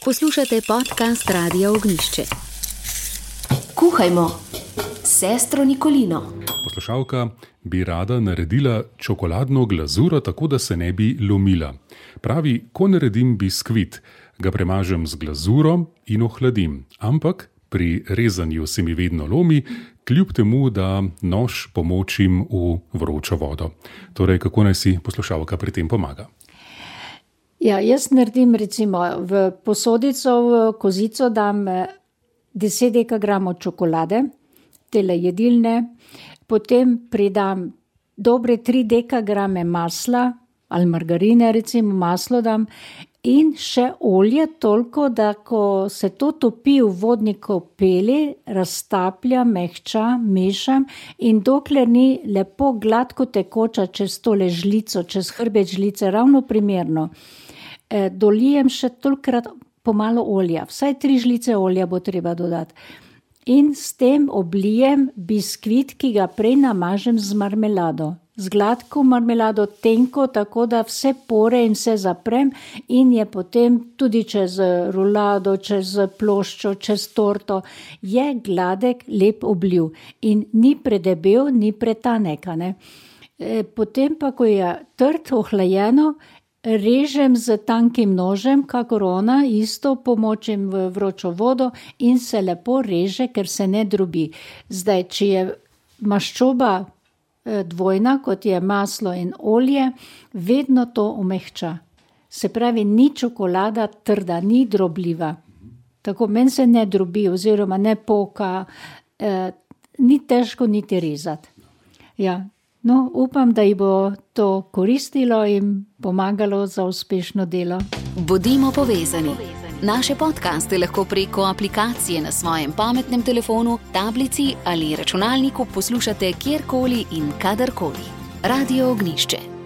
Poslušate podcast Radia Ognjišče. Kuhajmo s sestro Nikolino. Poslušalka bi rada naredila čokoladno glazuro, tako da se ne bi lomila. Pravi, ko naredim biskvit, ga premažem z glazuro in ohladim. Ampak pri rezanju se mi vedno lomi, kljub temu, da nož pomočim v vročo vodo. Torej, kako naj si poslušalka pri tem pomaga? Ja, jaz naredim recimo v posodico, v kozico dam 10 dekagramov čokolade, tele jedilne, potem pridam dobre 3 dekagrame masla ali margarine, recimo maslo dam in še olje toliko, da ko se to topi v vodni kopeli, raztaplja, mehča, mešam in dokler ni lepo gladko tekoča čez tole žlico, čez hrbet žlice, ravno primerno, dolijem še tolikrat pomalo olja, vsaj 3 žlice olja bo treba dodati. In s tem oblijem biskvit, ki ga prej namažem z marmelado. Z gladko marmelado, tenko, tako da vse pore in vse zaprem in je potem tudi čez rulado, čez ploščo, čez torto, je gladek, lep obliv. In ni predebel, ni pretanek. Potem pa, ko je trd, ohlajeno, režem z tankim nožem, kakor ona, isto pomočim v vročo vodo in se lepo reže, ker se ne drobi. Zdaj, če je maščoba dvojna, kot je maslo in olje, vedno to omehča. Se pravi, ni čokolada trda, ni drobljiva. Tako meni se ne drobi oziroma ne poka, ni težko niti rezati. Ja. No, upam, da ji bo to koristilo in pomagalo za uspešno delo. Bodimo povezani. Naše podcaste lahko preko aplikacije na svojem pametnem telefonu, tablici ali računalniku poslušate kjerkoli in kadarkoli. Radio Ognjišče.